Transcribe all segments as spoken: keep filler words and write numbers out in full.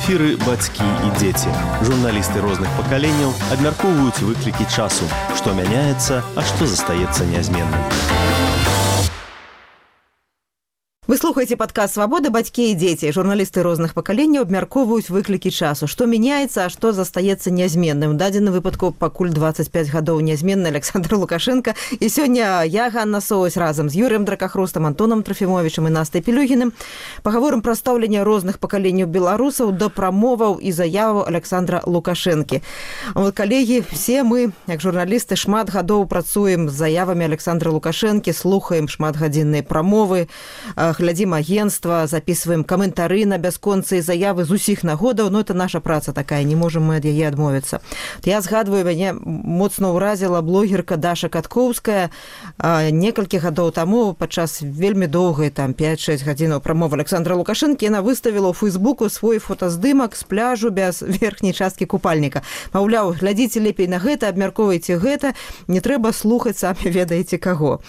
эфіры бацькі і дзеці. Журналісты розных пакаленняў абмяркоўваюць выклікі часу, што мяняецца, а што застаецца нязменным. Вы слухаеце падкаст «Свабода. Бацькі і дзеці». Журналісты розных пакаленняў абмяркоўваюць выклікі часу. Што мяняецца, а што застаецца нязменным. У дадзеным выпадку пакуль дваццаць пяць гадоў нязменны Александр Лукашенко. І сёння я, Ганна Соусь, разам з Юрыем Дракахрустам, Антонам Трофімовичам і Настай Пілюгіным пагаворым пра стаўленне розных пакаленняў беларусаў да прамоваў і заяваў Александра Лукашэнкі. Вот, калегі, все мы, як журналісты, шмат гадоў працуем з заявамі Александра Лукашэнкі, слухаем шматгадзінныя прамовы, глядзім агентства, записываем каментары на бясконцыя заявы з усіх нагодаў, но это наша праца такая, не можем мы ад яе адмовіцца. Я згадваю, мяне моцна ўразіла блогерка Даша Каткоўская некалькі гадоў таму падчас вельмі доўгай, там пяць-шэсць гадзінаў прамовы Александра Лукашэнкі, яна выставіла ў Фейсбуку свой фотаздымак з пляжу без верхняй часткі купальніка. Маўляў, глядзіце лепей на гэта, абмяркоўвайце гэта, не трэба слухаць самі ведаеце каго.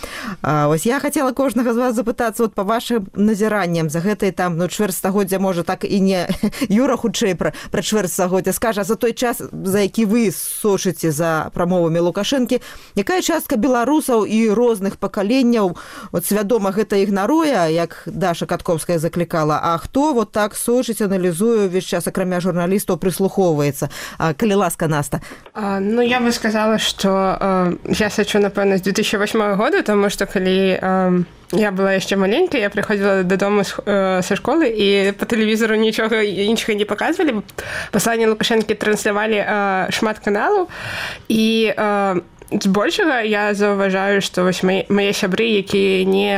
А, вось я хацела кожнага з вас запытацца вот па вашым назіраннем за гэтай там ну чвэрць стагоддзя, можа так і не Юра хутчэй пра, пра чвэрць стагоддзя скажа, за той час, за які вы сочыце за прамовамі Лукашэнкі, якая частка беларусаў і розных пакаленняў вот свядома гэта ігнаруе, як Даша Каткоўская заклікала, а хто вот так сочыць, аналізуе увесь час, акрамя журналістаў, прыслухоўваецца. А, калі ласка, Наста. А, ну я бы сказала, што а, я сачу напэўна з две тысячи восьмого года, таму што калі а, я была яшчэ маленькая, я прыходзіла дадому са школы і па тэлевізору нічога іншага не паказвалі. Пасланне Лукашэнкі транслявалі шмат каналаў і збольшага я заўважаю, што вось мае сябры, якія не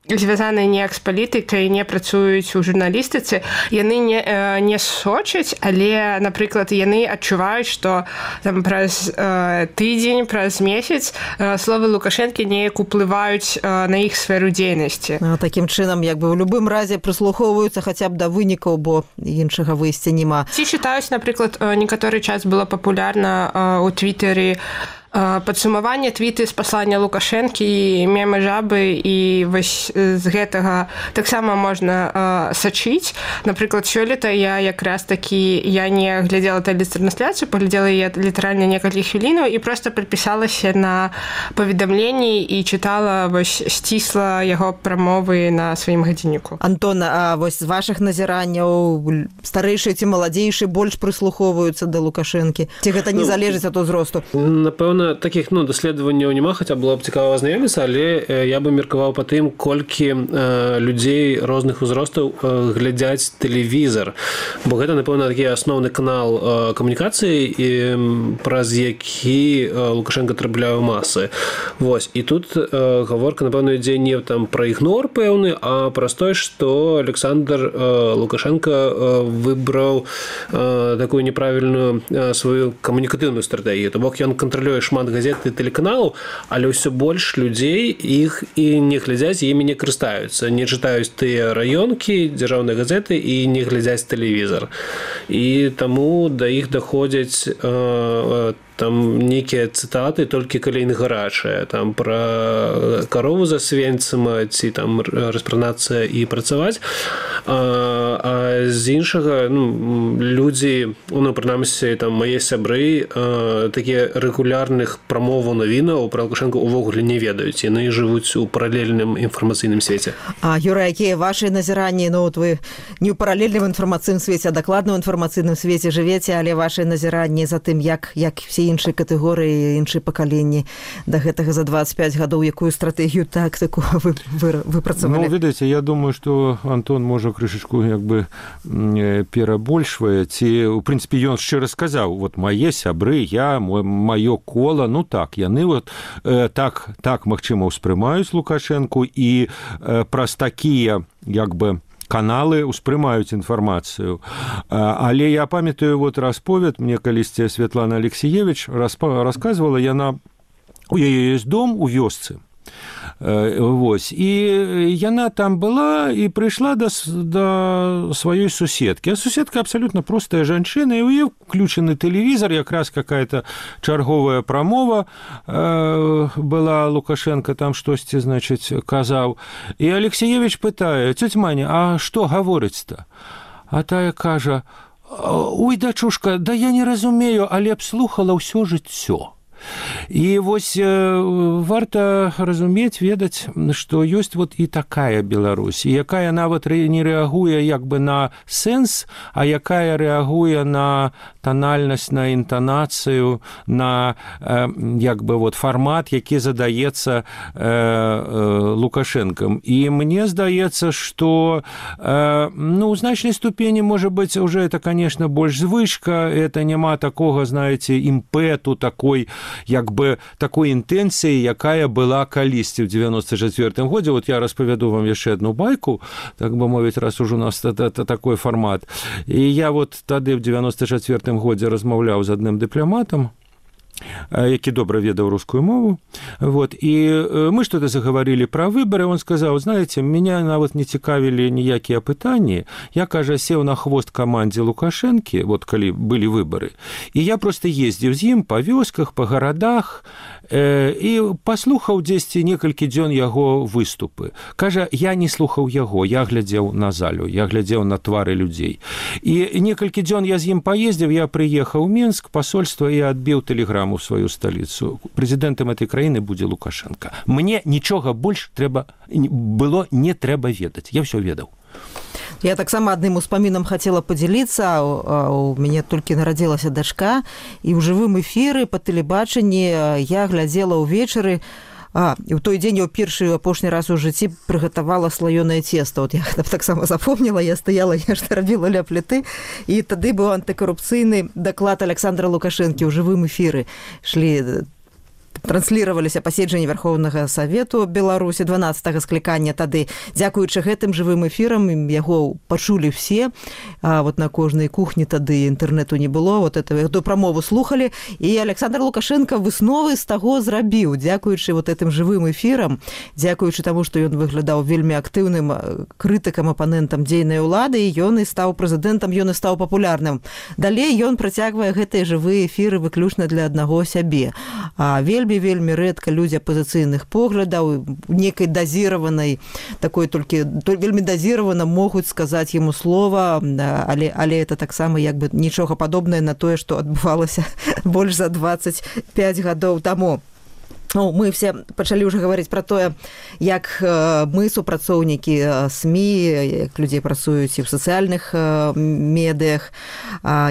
звязаныя неяк з палітыкай, не працуюць у журналістыцы, яны не, не сочаць, але, напрыклад, яны адчуваюць, што там праз э, тыдзень, праз месяц э, словы Лукашэнкі неяк уплываюць э, на іх сферу дзейнасці. Ну, такім чынам, як бы ў любым разе прыслухоўваюцца хаця б да вынікаў, бо іншага выйсця няма. Ці чытаюць, напрыклад, некаторы час было папулярна э, у Твіттері падсумаванне твіты з паслання Лукашэнкі і мемы жабы, і вось з гэтага таксама можна э, сачыць. Напрыклад, сёлета я якраз такі я не глядзела тэлетрансляцыю, паглядзела яе літаральна некалькі хвілінаў і проста падпісалася на паведамленні і чытала вось сцісла яго прамовы на сваім гадзінніку. Антон, а вось з вашых назіранняў старэйшыя ці маладзейшыя больш прыслухоўваюцца да Лукашэнкі? Ці гэта не ну, залежыць ад узросту? Напэўна, таких ну даследаванняў няма, хаця было б цікава азнаёміцца, але я бы меркаваў па тым, колькі э, людзей розных узростаў э, глядзяць тэлевізар, бо гэта напэўна такі асноўны канал э, камунікацыі, і праз які э, Лукашенко трапляе ў масы. Вось, і тут э, гаворка напэўна ідзе не там пра ігнор пэўны, а праз тое, што Александр э, Лукашенко э, выбраў э, такую неправільную э, сваю камунікатыўную стратэгію, то бок ён кантралюе шмат газет і тэлеканалаў, але ўсё больш людзей іх і не глядзяць, імі не карыстаюцца, не чытаюць тыя раёнкі, дзяржаўныя газеты і не глядзяць тэлевізар. І таму да іх даходзяць э, там нейкія цытаты толькі калі яны гарачыя, там пра карову за свенцам ці там распранацца і працаваць. А, а з іншага ну, людзі, ну, прынамсі там мае сябры а, такія рэгулярных прамоваў навінаў пра Лукашэнка увогуле не ведаюць, яны жывуць у паралельным інфармацыйным свеце. А, Юра, якія вашы назіранні? Ну, от вы не ў паралельным інфармацыйным свеце, а дакладна ў інфармацыйным свеце жывеце, але вашы назіранні за тым, як, як все іншыя катэгорыі, іншыя пакаленні да гэтага за двадцать пять гадоў, якую стратэгію тактыку вы, вы, выпрацавалі? Ну, ведаеце, я думаю, што Антон можа крышачку як бы перабольшвае, ці, у прынцыпе, ён шчыра сказаў, вот мае сябры, я, маё кола, ну так, яны вот э, так, так, магчыма, ўспрымаюць Лукашэнку і э, праз такія, як бы, каналы успрымаюць інфармацыю. Але я памятаю вот расповед, мне калісьці Святлана Алексеевич расказвала, яна, у яе ёсць дом у вёсцы, Вось. І яна там была і прыйшла да, да сваёй суседкі. А суседка абсалютна простая жанчына, і ў яе включены тэлевізор, якраз какая-то чарговая прамова э, была, Лукашенко там штосьці, значыць, казаў. І Алексеевич пытае: «Цётя Маня, а што гаворыць-то?» А тая кажа: ой, дачушка, да я не разумею, але б слухала ўсё жыццё. І вось варта разумець, ведаць, што ёсць вот і такая Беларусь, якая нават не рэагуе як бы на сэнс, а якая рэагуе на танальнасць, на інтанацыю, на як бы вот фармат, які задаецца Лукашэнкам. І мне здаецца, што ну, у значнай ступені, можа быць, уже это, конечно, больш звычка, это няма такога, знаете, імпэту такой, як бы такой інтэнцыі, якая была калісьці ў девяносто четвёртым годзе. Вот я распавяду вам яшчэ одну байку, так бы мовіць, раз уже у нас такой фармат. І я вот тады ў девяносто четвёртым годзе размаўляў з адным дыпламатам, які добра ведаў рускую мову. Вот. І мы что-то заговорили про выборы. Он сказал: знаете, меня нават не цікавілі ніякія пытанні. Я, кажа, сеў на хвост камандзе Лукашэнкі, вот калі былі выборы. І я просто ездзіў з ім па вёсках, па гарадах, э, і паслухаў дзесьці некалькі дзён яго выступы. Кажа, я не слухаў яго, я глядзеў на залю, я глядзеў на твары людзей. І некалькі дзён я з ім паездзіў, я прыехаў у Мінск, пасольства, і адбіў тэлеграму у сваю сталіцу. Прэзідэнтам этой краіны будзе Лукашенко. Мне нічога больш трэба было не трэба ведаць. Я ўсё ведаў. Я таксама адным успамінам хацела падзяліцца. У мяне толькі нарадзілася дачка, і ў жывым эфіры па тэлебачанні я глядзела ўвечары. А, і ў той дзень я ў першы апошні раз у жыцці прыгатавала слаёнае цеста. Вот я таксама запомніла, я стаяла, я што рабіла ля пліты, і тады быў антыкарупцыйны даклад Александра Лукашэнкі ў жывым эфіры. Шлі транслироваліся паседжанні Верховнага Савету Беларусі дванаццатага склікання. Тады, дзякуючы гэтым жывым эфірам, яго пачулі все. А вот на кожнай кухні тады інтэрнэту не было. Вот эту прамову слухалі. І Александр Лукашенко высновы з таго зрабіў. Дзякуючы вот этим жывым эфірам, дзякуючы таму, што ён выглядаў вельмі актыўным крытыкам, апанентам дзейнай улады, і ён і стаў прэзідэнтам, ён і стаў папулярным. Далей ён працягвае гэтыя жывыя эфіры выключна для аднаго сябе. А вельмі вельмі рэдка людзі апазіцыйных поглядаў, некай дазіраванай, такой толькі вельмі дазіравана могуць сказаць яму слова, але, але это таксама як бы нічога падобнае на тое, што адбывалася больш за двадцать пять гадоў таму. Ну, мы все пачалі ўжо гаварыць пра тое, як мы, супрацоўнікі СМІ, як людзей працуюць і ў сацыяльных медыях,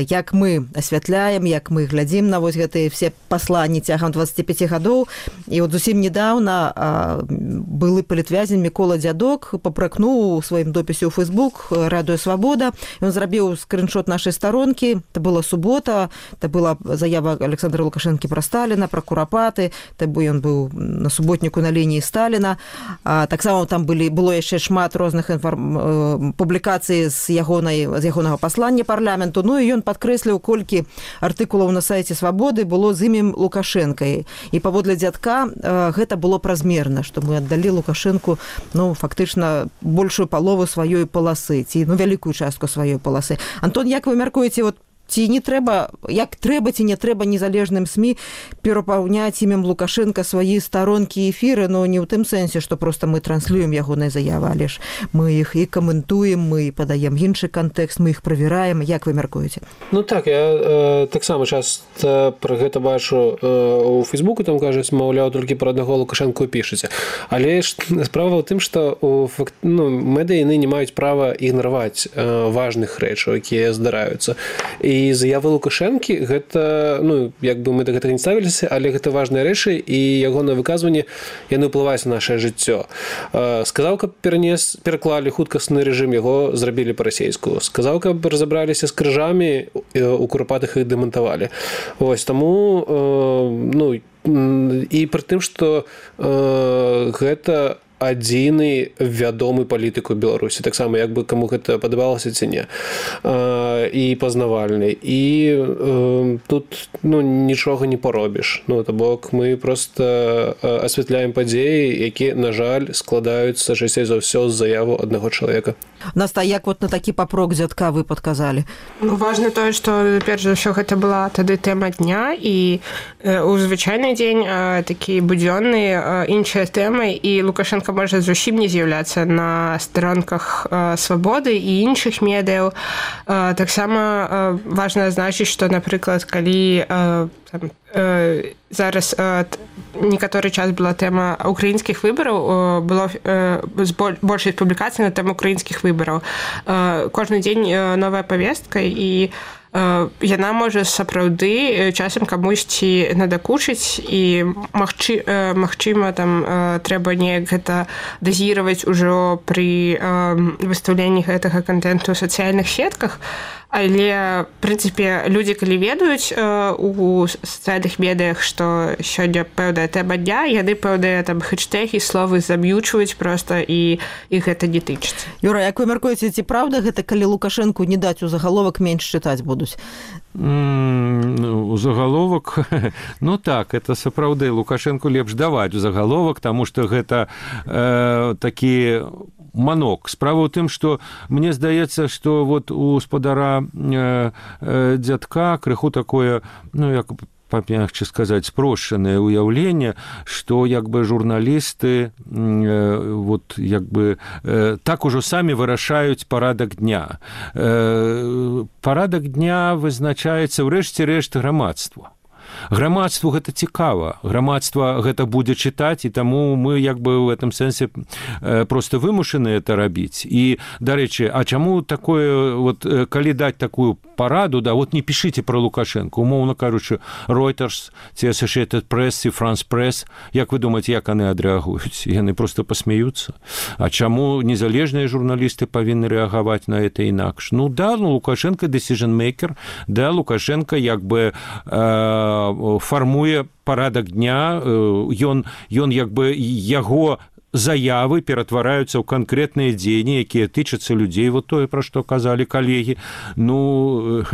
як мы асвятляем, як мы глядзім на вось гэтыя все пасланні цягам двадцати пяти гадоў. І вот зусім недаўна былы палітвязень Мікола Дзядок папракнуў у сваім допісе ў Facebook Радыё Свабода. Ён зрабіў скриншот нашай старонкі. Это была субота, это была заява Александра Лукашэнкі пра Сталіна, пра Курапаты, это быў ён быў на суботніку на лініі Сталіна. А, таксама там былі, было яшчэ шмат розных інформ... публікацый з, ягонай, з ягонага паслання парламенту. Ну і ён падкрэсліў, колькі артыкулаў на сайце Свабоды было з імем Лукашэнка. І паводле Дзядка гэта было празмерна, што мы аддалі Лукашэнку, ну, фактычна большую палову сваёй паласы, ці, ну, вялікую частку сваёй паласы. Антон, як вы мяркуеце, вот ці не трэба, як трэба ці не трэба незалежным СМІ перапаўняць імем Лукашэнка свае старонкі эфіры, но не ў тым сэнсе, што проста мы транслюем ягоныя заявы, але ж мы іх і каментуем, мы падаем іншы кантэкст, мы іх правяраем. Як вы мяркуеце? Ну так, я э, таксама часта пра гэта бачу э, у Фейсбуку, там кажуць, маўляў, толькі пра аднаго Лукашэнку пішаце. Але ж справа ў тым, што у, ну, медыі яны не маюць права ігнараваць э, важных рэчаў, якія здараюцца. І заявы Лукашэнкі, гэта, ну, як бы мы да гэтага не ставіліся, але гэта важныя рэчы, і ягонае выказванне, яны ўплываюць на нашае жыццё. Сказаў, каб перанес, пераклалі хуткасны рэжым, яго зрабілі па-расейску. Сказаў, каб разабраліся з крыжамі, у Курапатых іх дэмантавалі. Вось, таму, ну, і пры тым, што гэта адзіны вядомы палітык у Беларусі, таксама як бы каму гэта падабалася ці не, і пазнавальны, і э, тут, ну, нічога не паробіш. Ну, то бок мы просто асвятляем падзеі, якія, на жаль, складаюцца часцей за ўсё з заяву аднаго чалавека. Наста, як вот на такі папрок Дзядка вы падказалі? Важна тое, што перш за ўсё гэта была тады тэма дня, і у звычайны дзень такі будзённы іншыя тэмы, і Лукашенко можа зусім не з'яўляцца на старонках «Свабоды» і іншых медыяў. Таксама важна адзначыць, што, напрыклад, калі там, зараз некаторы час была тэма украінскіх выбараў, было большасць публікацый на тэму украінскіх выбараў. Кожны дзень новая павестка, і яна можа сапраўды часам камусьці надакучыць, і магчы, магчыма там трэба неяк гэта дазіраваць ужо пры выстаўленні гэтага кантэнту ў сацыяльных сетках. Але, в прынцыпе, людзі, калі ведаюць у сацыяльных медыях, што сёння пэўная тэма дня, яны пэўныя там хэштэгі, словы заб'ючваюць проста, і іх гэта не тычыцца. Юра, як вы мяркуеце, ці правда гэта, калі Лукашэнку не даць у загаловак, менш чытаць будуць? У загаловак, ну так, это сапраўды, Лукашэнку лепш даваць у загаловак, таму што гэта э, такі манок. Справа ў тым, што мне здаецца, што вот у спадара э, э, дзядка крыху такое, ну, як памягче сказаць, спрошчанае ўяўленне, што як бы журналісты э, вот, як бы, э, так ужо самі вырашаюць парадак дня. Э, парадак дня вызначаецца ў рэшце рэшт грамадства. Грамадству гэта цікава, грамадства гэта будзе чытаць, і таму мы як бы ў гэтым сэнсе проста вымушаны это рабіць. І, дарэчы, а чаму такое, вот, калі даць такую параду, да, вот не пішыце пра Лукашэнку, умоўна кажучы, Reuters, ці Associated Press, ці France Press, як вы думаеце, як яны адрэагуюць? Яны проста пасмяюцца. А чаму незалежныя журналісты павінны рэагаваць на это інакш? Ну да, ну Лукашенко decision maker, да, Лукашенко як бы э, фармуе парадак дня, ён, ён як бы яго заявы ператвараюцца ў канкрэтныя дзеянні, якія тычацца людзей, вот тое, пра што казалі калегі. Ну,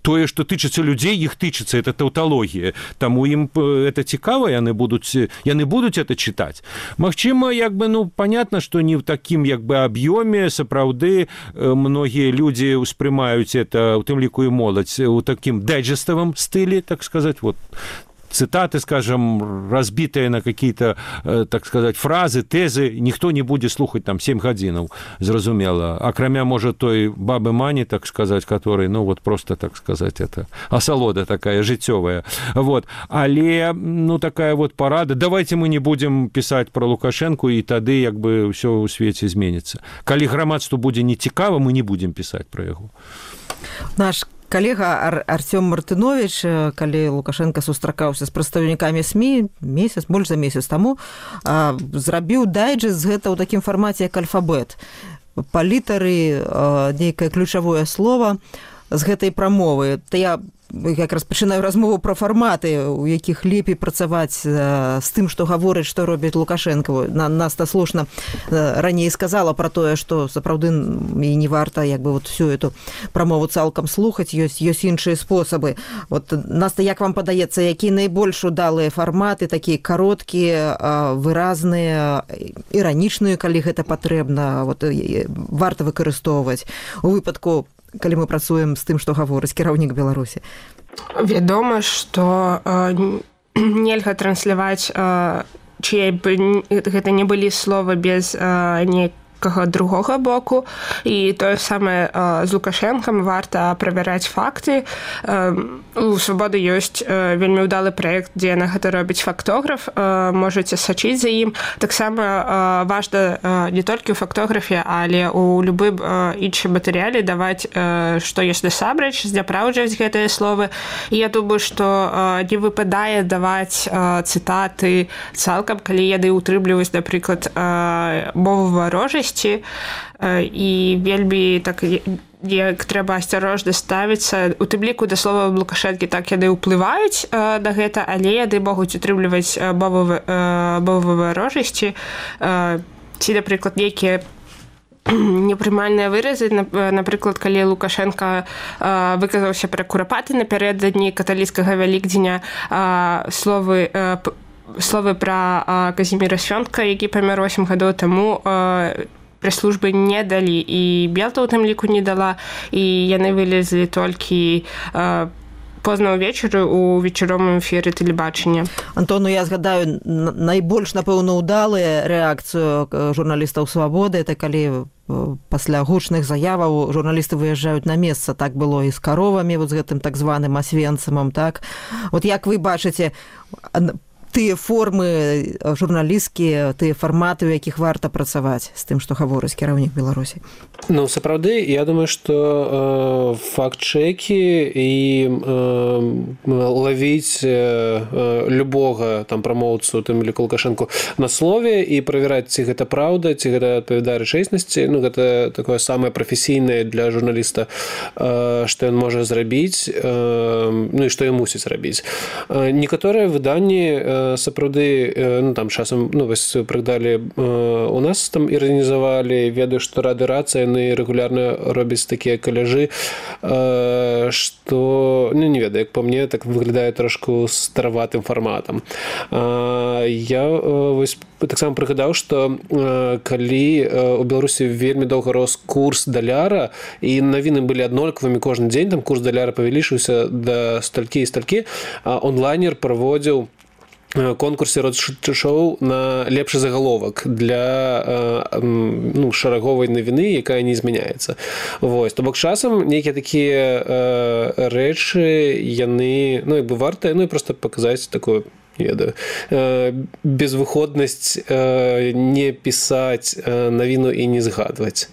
тое, што тычацца людзей, іх тычацца, это таўталогія. Таму ім это цікава, яны будуць, яны будуць это чытаць. Магчыма, як бы, ну, понятно, што не ў такім, як бы, аб'ёме, сапраўды, многія людзі ўспрымаюць это, у тым ліку і моладзь, у такім дайджеставым стылі, так сказаць, вот, цитаты, скажем, разбитые на какие-то, так сказать, фразы, тезы, никто не будет слухать там семь гадзінаў, зразумела. Акрамя, может, той бабы Мані, так сказать, который, ну, вот просто, так сказать, это асалода такая жыццёвая. Вот. Але, ну, такая вот парада. Давайте мы не будем писать про Лукашенко, и тады, як бы, ўсё ў свеце зменіцца. Калі грамадству будзе не цікава, мы не будем писать про яго. Наш калега Ар- Артём Мартынович, калі Лукашенко сустракаўся з прадстаўнікамі СМІ месяц, больш за месяц таму, зрабіў дайджэст з гэта ў такім фармаце, як альфабет. Па літары нейкае ключавое слово з гэтай прамовы. То я якраз пачынаю размову пра фарматы, у якіх лепей працаваць з тым, што гаворыць, што робіць Лукашенко. Наста слушна раней сказала пра тое, што сапраўды і не варта як бы вот всю эту прамову цалкам слухаць, ёсць ёсць іншыя спосабы. Вот, Наста, як вам падаецца, якія найбольш удалыя фарматы, такія кароткія, выразныя, іранічныя, калі гэта патрэбна, вот, варта выкарыстоўваць у выпадку, калі мы працуем з тым, што гаворыць кіраўнік Беларусі? Вядома, што э, нельга трансляваць, э, чые б гэта не былі словы без э, неяк другога боку, і тое самае э, з Лукашэнкам, варта правяраць факты. Э, у Свабоды ёсць э, вельмі ўдалы праект, дзе на гэта робіць фактограф, э, можаце сачыць за ім. Таксама э, важна э, не толькі ў фактографе, але ў любым э, іншым матэрыяле даваць, э, што ёсць насамрэч, зняпраўджваць гэтыя словы. І я думаю, што э, не выпадае даваць э, цытаты цалкам, калі яны ўтрымліваюць, напрыклад, э, мову варожасці, і вельмі так як трэба асцярожна ставіцца, у тым ліку да слова Лукашэнкі, так яны ўплываюць на гэта, але яны могуць утрымліваць мову варожасці, ці, напрыклад, нейкія непрымальныя выразы. Напрыклад, калі Лукашенко выказаўся пра курапаты напярэдадні каталіцкага Вялікдзеня, словы словы пра Казіміра Свёнтка, які памёр восем гадоў таму, прэс-службы не далі, і Белта ў тым ліку не дала, і яны вылезлі толькі позна ўвечары ў вечаровым эфіры тэлебачання. Антон, ну я згадаю найбольш, напэўна, удалыя рэакцыю журналістаў «Свабоды», это калі пасля гучных заяваў журналісты выязджаюць на месца. Так было і з каровамі, вот з гэтым так званым асвенцымам, так? Вот як вы бачыце тыя формы журналісцкія, тыя фарматы, у якіх варта працаваць з тым, што гаворыць кіраўнік Беларусі? Ну, сапраўды, я думаю, што э, факт-чэкі і э, лавіць э, любога там прамоўцу, тым ліку Лукашэнку, на слове і правяраць, ці гэта праўда, ці гэта адпавядае рэчаіснасці, ну, гэта такое самае прафесійнае для журналіста, э, што ён можа зрабіць, э, ну, і што ён мусіць рабіць. Э, некаторыя выданні сапраўды, ну, там часам, ну, вось прыгдалі у нас там іранізавалі, ведаю, што Рады Рацыя, яны рэгулярна робяць такія каляжы, што, ну, не ведаю, як па мне, так выглядае трошку стараватым фарматам. Я вось таксама прыгадаў, што калі у Беларусі вельмі доўга рос курс даляра, і навіны былі аднолькавымі кожны дзень, там курс даляра павялічыўся да сталькі і сталькі, онлайнер праводзіў конкурсе роад-шоу на лепшы загаловак для ну, шараговай навіны, якая не змяняецца. Вось. То бок часам нейкія такія э, рэчы, яны, ну, як бы вартыя, ну, і проста паказаць такую, ведаю, э, безвыходнасць э, не пісаць э, навіну і не згадваць.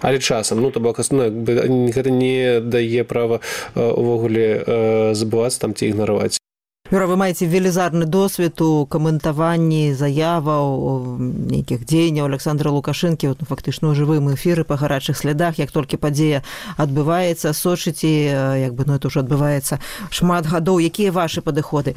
Але часам, ну, то бок, ну, гэта не дае права э, увогуле э, забывацца там ці ігнараваць. Юра, вы маеце велізарны досвед у каментаванні заяваў, нейкіх дзеянняў Александра Лукашэнкі, вот, ну, фактычна ў жывым эфіры па гарачых слядах, як толькі падзея адбываецца, сочыце, як бы, ну, это ўжо адбываецца шмат гадоў. Якія вашы падыходы?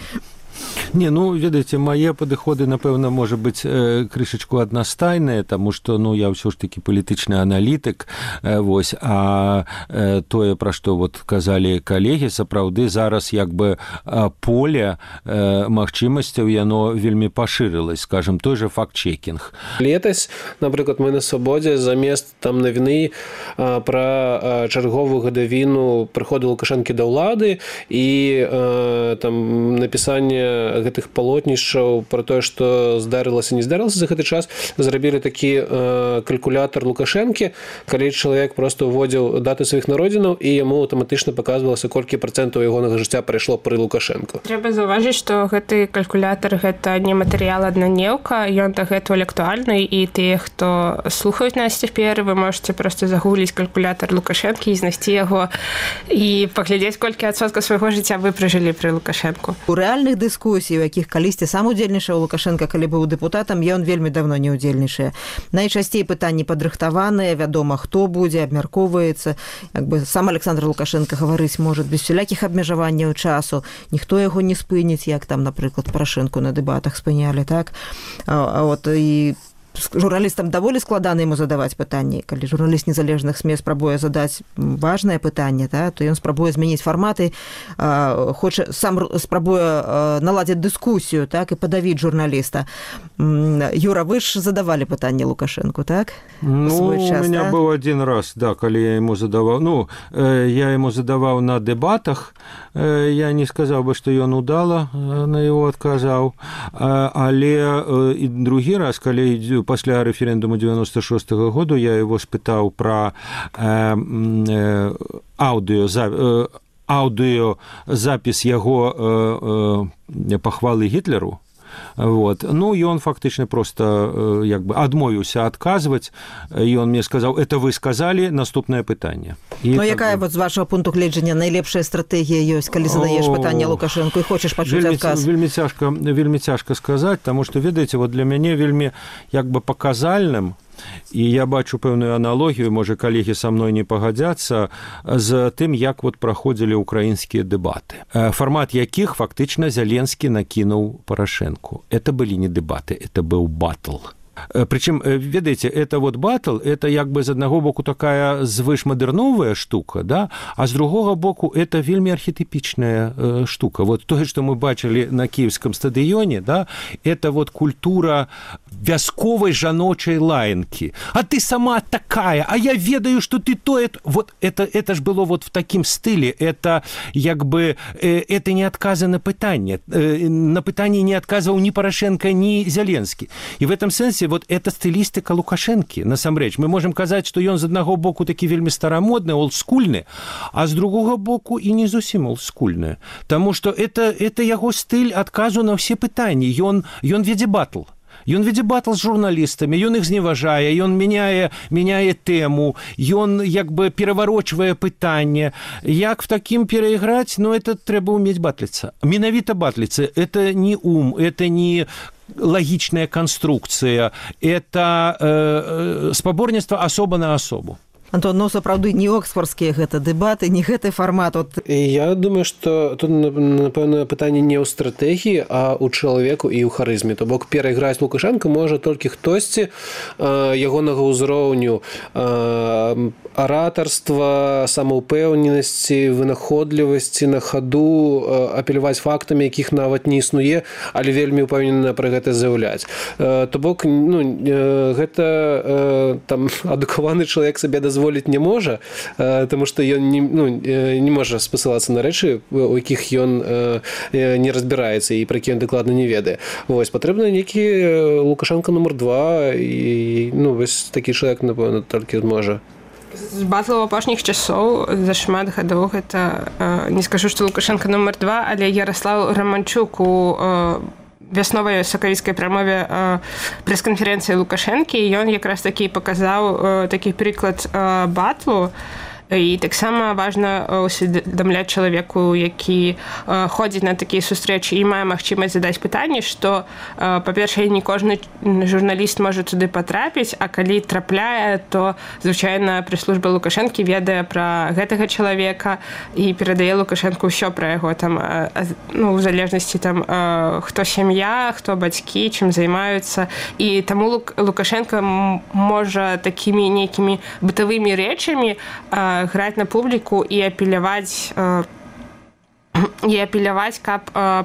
Не, ну, ведаеце, мае падыходы, напэўна, можа быць э, крышачку аднастайныя, таму што, ну, я ўсё ж такі палітычны аналітык, э, вось, а э, тое, пра што вот казалі калегі, сапраўды зараз як бы э, поле э, магчымасцяў, яно вельмі пашырылась, скажем, той же факт-чекінг. Летась, напрыклад, мы на Свабодзе замест там навіны э, пра э, чарговую гадавіну прыходу Лукашэнкі да ўлады і э, там напісанне гэтых палотнішчаў пра тое, што здарылася, не здарылася за гэты час, зрабілі такі э, калькулятар Лукашэнкі, калі чалавек проста ўводзіў даты сваіх народзінаў і яму аўтаматычна паказвалася, колькі працэнтаў ягонага жыцця прайшло пры Лукашэнку. Трэба заўважыць, што гэты калькулятар гэта не матэрыял аднаднеўка, ён дагэтуль актуальны, і тыя, хто слухаюць нас цяпер, вы можаце проста загугліць калькулятар Лукашэнкі і знайсці яго і паглядзець, колькі адсоткаў свайго жыцця вы пражылі пры Лукашэнку. У рэальных дыскусій, у якіх калісьці сам удзельнічаў Лукашенко, калі быў дэпутатам, ён вельмі давно не удзельнічае. Найчасцей пытанні падрыхтаваныя, вядома, хто будзе, абмяркоўваецца. Як бы сам Александр Лукашенко гаварыць можа без усялякіх абмежаванняў часу, ніхто яго не спыніць, як там, напрыклад, Парашэнку на дэбатах спынялі, так? А, а от і журналістам даволі складана яму задаваць пытанні. Калі журналіст незалежных СМЕ спрабуе задаць важнае пытанне, да, то ён спрабуе змяніць фарматы, э, хоча, сам спрабуе э, наладзіць дыскусію, так, і падавіць журналіста. Юра, вы ж задавалі пытанне Лукашэнку, так? Ну, час, у меня да? был один раз, да, калі я ему задаваў, ну, э, я ему задаваў на дэбатах, э, я не сказаў бы, што ён удала э, на его адказаў, э, але э, і другі раз, калі пасля рэферэндуму девяносто шостого году я его спытаў пра э, э, аўдыо, э, аўдыёзапіс яго э, э, пахвалы Гітлеру. Вот. Ну, и он фактично просто як бы адмовіўся адказваць, і он мне сказаў, это вы сказали, наступнае пытанне. Ну, якая вот з вашего пункту гледжання найлепшая стратэгія ёсць, калі задаеш пытанне Лукашэнку і хочаш пачуць вельмі, адказ? Вельмі цяжка, вельмі цяжка сказаць, таму што, ведаеце, вот для мяне вельмі як бы паказальным, і я бачу пэўную аналогію, можа, калегі са мной не пагадзяцца, з тым, як вот праходзілі ўкраінскія дэбаты, фармат якіх фактычна Зеленскі накінуў Парашэнку. Это былі не дэбаты, это быў батл. Причем, ведаеце, это вот батл, это як бы з аднаго боку такая звышмадэрновая штука, да? А з другога боку это вельмі архетипичная э, штука. Вот тое, што мы бачылі на кіевскім стадыёне, да, это вот культура вясковай жаночай лаянкі. А ты сама такая, а я ведаю, что ты то... Это... Вот это, это ж было вот в таким стиле. Это, як бы, это не отказа на пытанне. На пытанне не отказывал ни Порошенко, ни Зеленский. И в этом сенсе вот это стилистика Лукашенки, насамрэч. Мы можем казаць, что ён з аднаго боку такі вельмі старамодны, олдскульны, а з другога боку і не зусім олдскульны. Таму что это, это яго стыль адказу на все пытанні. Ён, ён вядзе батл. Ён вядзе батл з журналістамі, ён іх зневажае, ён мяняе, мяняе тэму, ён як бы пераварочвае пытанне. Як в такім перайграць? Ну, это трэба ўмець батліцца. Менавіта батліцца. Это не ум, это не лагічная канструкцыя, это э, спаборніцтва асоба на асобу. Антон, ну, сапраўды, не оксфордскія гэта дэбаты, не гэты фармат. От... Я думаю, што тут, напэўна, пытанне не ў стратэгіі, а ў чалавеку і ў харызме. То бок, перайграць Лукашенко можа толькі хтосьці э, ягонага ўзроўню э, аратарства, самаўпэўненасці, вынаходлівасці на хаду, э, апеляваць фактамі, якіх нават не існуе, але вельмі ўпэўнена пра гэта заяўляць. Э, то бок, ну, э, гэта э, там адукаваны чалавек сабе дазволіць дазволіць не можа, тому што ён не, ну, не можа спасылацца на рэчы, у якіх ён не разбіраецца і пра які ён дакладна не ведае. Вось, патрэбна нейкі Лукашенко нумар два, і ну, вось такі чалавек, напэўна, толькі можа. З батлаў апошніх часоў за шмат гадоў гэта, не скажу, што Лукашенко нумар два, але Ярослав Романчук у вясновай сакавіцкай прамове э, прэс-канферэнцыі Лукашэнкі, і ён якраз такі паказаў э, такі прыклад э, батлу. І таксама важна усведамляць чалавеку, які э, ходзіць на такія сустрэчы і мае магчымасць задаць пытанне, што, э, па-першае, не кожны журналіст можа туды патрапіць, а калі трапляе, то, звычайна, прэс-служба Лукашэнкі ведае пра гэтага чалавека і перадае Лукашэнку ўсё пра яго, там, э, ну, у залежнасці, там, э, хто сям'я, хто бацькі, чым займаюцца. І таму Лук, Лукашенко можа такімі нейкімі бытавымі рэчамі э, граць на публіку і апеляваць, э, і апеляваць, каб э,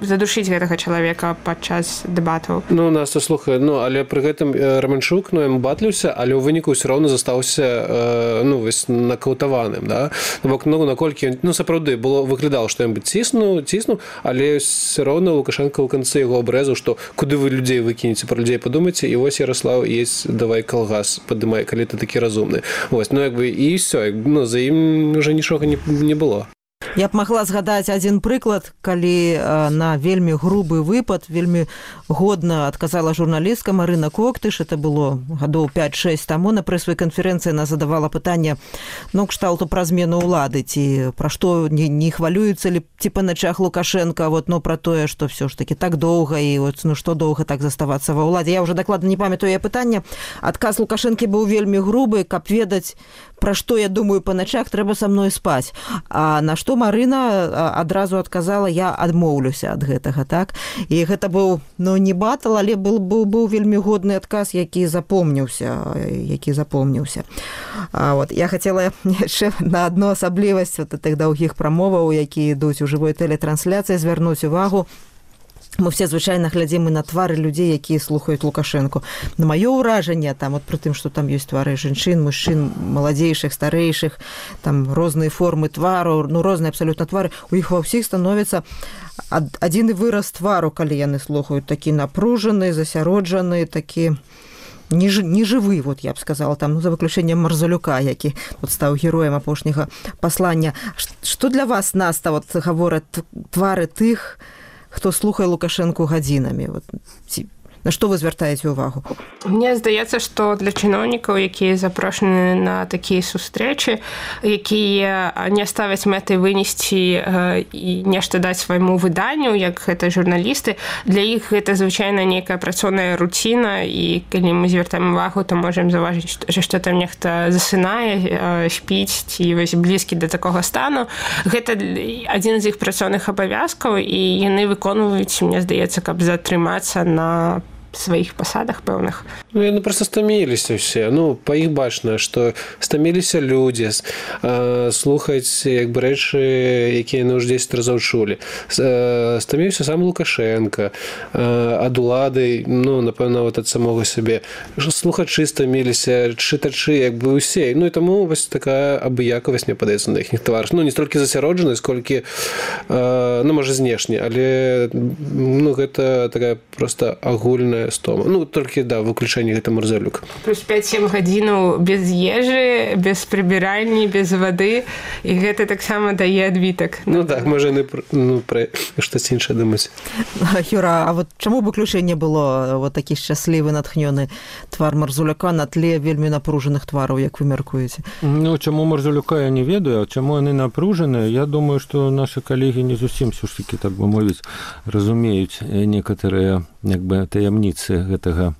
задушыць гэтага чалавека падчас дэбатаў. Ну, у нас, слухай, ну, але пры гэтым Романчук, ну, ім батліўся, але ў выніку ўсё роўна застаўся, э, ну, вось, накаўтаваным, да? Бок, ну, наколькі, ну, сапраўды, было, выглядало, што ён бы ціснуў, ціснуў, але ўсё роўна Лукашенко ў канцы яго абрэзаў, што куды вы людзей выкінеце, пра людзей падумайце, і вось, Ярослав, есть, давай калгас, падымай, калі ты такі разумны. Вось, ну, як бы, і ўсё, ну, за ім уже нічога не, не было. Я б магла згадаць адзін прыклад, калі на вельмі грубы выпад, вельмі годна адказала журналістка Марына Коктыш, это было гадоў пяць-шэсць таму, на прэсавай канферэнцыі она задавала пытанне, ну, кшталту пра змену ўлады, ці пра што не, не хвалююцца ли ці па начах Лукашенко, вот, ну, пра тое, што все ж таки так доўга, і вот, ну, што доўга так заставацца ва ўладзе. Я ўжо дакладна не памятаю яе пытанне. Адказ Лукашэнкі быў вельмі грубы, каб ведаць, пра што я думаю па начах, трэба са мной спаць. А на што Марына адразу адказала, я адмоўлюся ад гэтага, так? І гэта быў, ну, не батл, але быў, быў, быў вельмі годны адказ, які запомніўся, які запомніўся. А, вот, я хацела яшчэ на адну асаблівасць вот тых даўгіх прамоваў, якія ідуць у жывой тэлетрансляцыі, звярнуць увагу. Мы все звычайна глядзім і на твары людзей, якія слухаюць Лукашэнку. На маё ўражанне, там, от пры тым, што там ёсць твары жанчын, мужчын, маладзейшых, старэйшых, там розныя формы твару, ну, розныя абсалютна твары, у іх ва ўсіх становіцца адзіны выраз твару, калі яны слухаюць, такі напружаны, засяроджаны, такі нежывы, вот я б сказала, там, ну, за выключэннем Марзалюка, які вот стаў героем апошняга паслання. Што для вас, Наста, вот гавораць твары тых, хто слухае Лукашэнку гадзінамі? Вот, ці, на што вы звяртаеце ўвагу? Мне здаецца, што для чыноўнікаў, якія запрошаны на такія сустрэчы, якія не ставяць мэтай вынесці э, і нешта даць свайму выданню, як гэта журналісты, для іх гэта звычайна нейкая працоўная руціна, і калі мы звяртаем увагу, то можам заўважыць, што, што там нехта засынае, э, спіць, ці вось блізкі да такога стану. Гэта адзін з іх працоўных абавязкаў, і яны выконваюць, мне здаецца, каб затрымацца на сваіх пасадах пэўных. Ну, яны проста стаміліся ўсе. Ну, па іх бачна, што стаміліся людзі э, слухаць як бы рэчы, якія яны ўжо дзесяць разоў чулі. Э, стаміўся сам Лукашенко э, ад улады, ну, напэўна, вот ад самога сябе. Слухачы стаміліся, чытачы, як бы ўсе. Ну, і таму вось такая абыякавасць, мне падаецца, на іхніх тварах. Ну, не столькі засяроджанасць, колькі, э, ну, можа, знешне, але, ну, гэта такая проста агульная стома. Ну, толькі, да, выключэнне гэта Марзалюк. Плюс пяць-сем гадзінаў без ежы, без прыбіральні, без вады, і гэта таксама дае адбітак. Ну, так, можа, яны ну, пра штось іншае думаць. Юра, а вот чаму выключэнне было вот такі шчаслівы, натхнёны твар Марзуляка на тле вельмі напружаных твараў, як вы мяркуеце? Ну, чаму Марзуляка я не ведаю, а чаму яны напружаныя? Я думаю, што нашы калегі не зусім ўсё ж такі, так бы мовіць, разумеюць некаторыя як бы таямніцы гэтага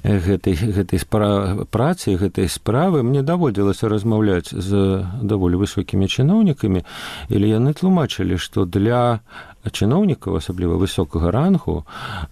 гэтай, гэтай спра... працы, гэтай справы. Мне даводзілася размаўляць з даволі высокімі чыноўнікамі, і яны тлумачылі, што для чыноўнікаў, асабліва высокага рангу,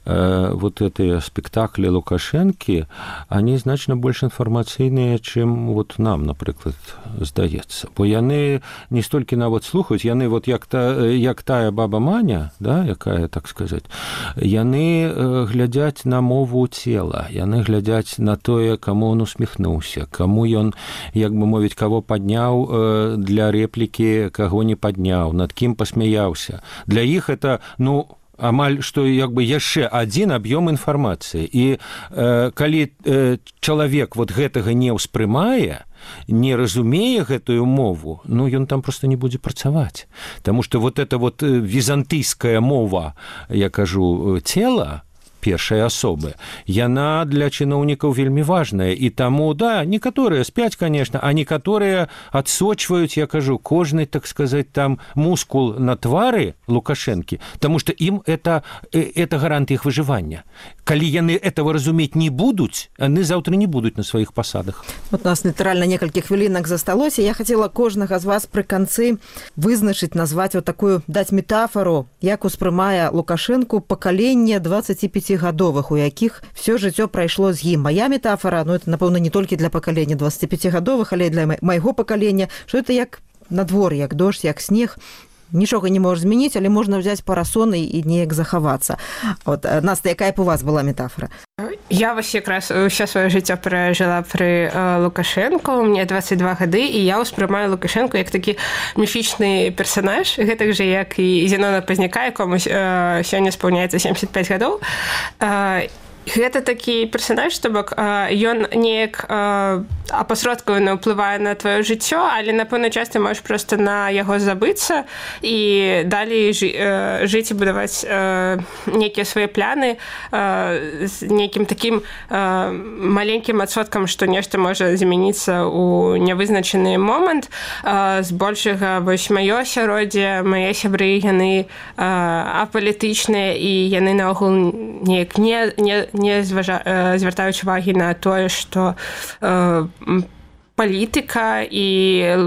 э, вот этыя спектаклі Лукашэнкі, они значна больш інфармацыйныя, чым вот нам, напрыклад, здаецца. Бо яны не столькі нават слухаюць, яны вот як, та, як тая баба Маня, да, якая, так сказаць, яны э, глядзяць на мову цела, яны глядзяць на тое, каму он усміхнуўся, каму ён, як бы мовіць, каго падняў э, для рэплікі, каго не падняў, над кім пасмяяўся. Для іх это, ну, амаль што як бы яшчэ адзін аб'ём інфармацыі. І э, калі э, чалавек вот гэтага не ўспрымае, не разумее гэтую мову, ну, ён там просто не будзе працаваць. Таму што вот эта вот візантыйская мова, я кажу, цела, першай асобы, яна для чыноўнікаў вельмі важная. І таму, да, некаторыя спяць, конечно, а некаторыя адсочваюць, я кажу, кожны, так сказать, там мускул на твары Лукашэнкі, потому что им это, это гарант іх выжывання. Калі яны этого разумець не будуць, яны заўтра не будуць на сваіх пасадах. Вот у нас літаральна некалькі хвілінак засталося. Я хацела кожнага з вас пры канцы вызначыць, назваць вот такую, даць метафору, як успрымае Лукашэнку пакаленне дваццаціпяцігадовых, у якіх все жыццё прайшло з ім. Мая метафора, ну, это, напэўна, не толькі для пакалення дваццаціпяцігадовых, але і для майго пакалення, што это як надвор'е, як дождж, як снег. Нічога не можаш змяніць, але можна взяць парасоны і неяк захавацца. Вот, Наста, якая б у вас была метафора? Я вось якраз ўсё сваё жыццё перажыла пры э, Лукашэнку, мне дваццаць два гады, і я ўспрымаю Лукашэнку як такі міфічны персанаж, гэтак жа, як і Зенона Пазняка, якому э, сёння спаўняецца сямдзесят пяць гадоў. Э, Гэта такі персанаж, што бок ён неяк апасродкавана ўплывае на тваё жыццё, але, напэўна, часта можаш проста на яго забыцца і далей жыць і будаваць нейкія свае пляны з нейкім такім маленькім адсоткам, што нешта можа змяніцца ў нявызначаны момант. Збольшага, вось маё асяроддзе, мае сябры, яны апалітычныя, і яны наогул неяк не, не не зважа... звяртаюць увагі на тое, што э, палітыка і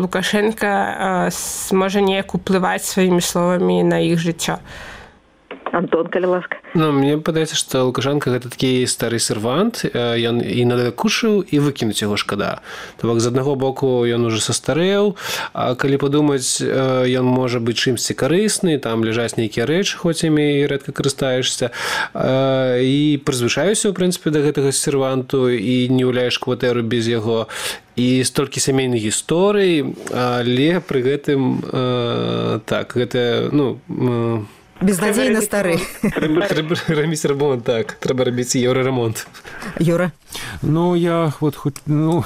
Лукашенка э, можа неяк уплываць сваімі словамі на іх жыццё. Антон, калі ласка. Ну, мне падаецца, што Лукашенко гэта такі стары сервант, ён і надакушыў, і выкінуць яго шкада. То бок, з аднаго боку ён ужо састарэў, а калі падумаць, ён можа быць чымсьці карысны, там ляжаць нейкія рэчы, хоць імі рэдка карыстаешся, і прызвычаюся, ў прынцыпе, да гэтага серванту, і не гуляеш кватэру без яго, і столькі сямейных гісторый, але пры гэтым, так, гэта, ну, безнадзейна стары. Трэба, трэба рабіць ремонт, так. Трэба рабіць еўраремонт. Юра? Ну, я вот хоть, ну...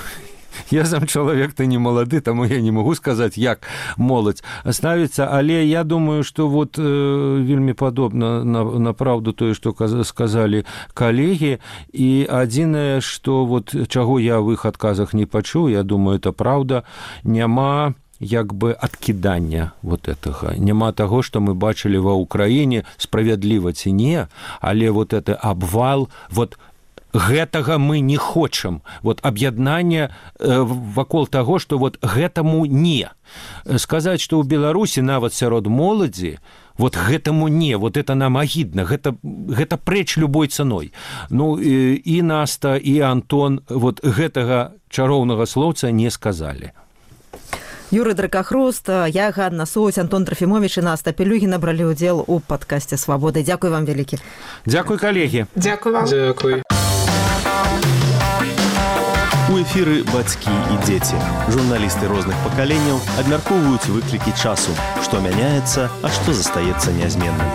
Я сам чалавек, ты не малады, таму я не магу сказаць, як моладзь ставіцца, але я думаю, што вот э, вельмі падобна на, на праўду тое, што сказалі калегі, і адзінае, што вот чаго я в іх адказах не пачуў, я думаю, это праўда, няма як бы адкідання вот гэтага. Няма таго, што мы бачылі ва Ўкраіне, справядліва ці не, але вот это абвал, вот гэтага мы не хочам. Вот аб'яднанне вакол таго, што вот гэтаму не. Сказаць, што ў Беларусі нават сярод моладзі вот гэтаму не, вот это нам агідна, гэта, гэта прэч любой цаной. Ну і, і Наста, і Антон вот гэтага чароўнага слоўца не сказалі. Юрый Дракахруст, я, Ганна Сусь, Антон Трофимович и Наста Пелюгіна бралі ўдзел у падкасце «Свабода». Дзякуй вам вялікі. Дзякуй, калегі. Дзякуй вам. Дзякуй. У эфіры «Бацькі і дзеці». Журналісты розных пакаленняў абмяркоўваюць выклікі часу, што мяняецца, а што застаецца нязменным.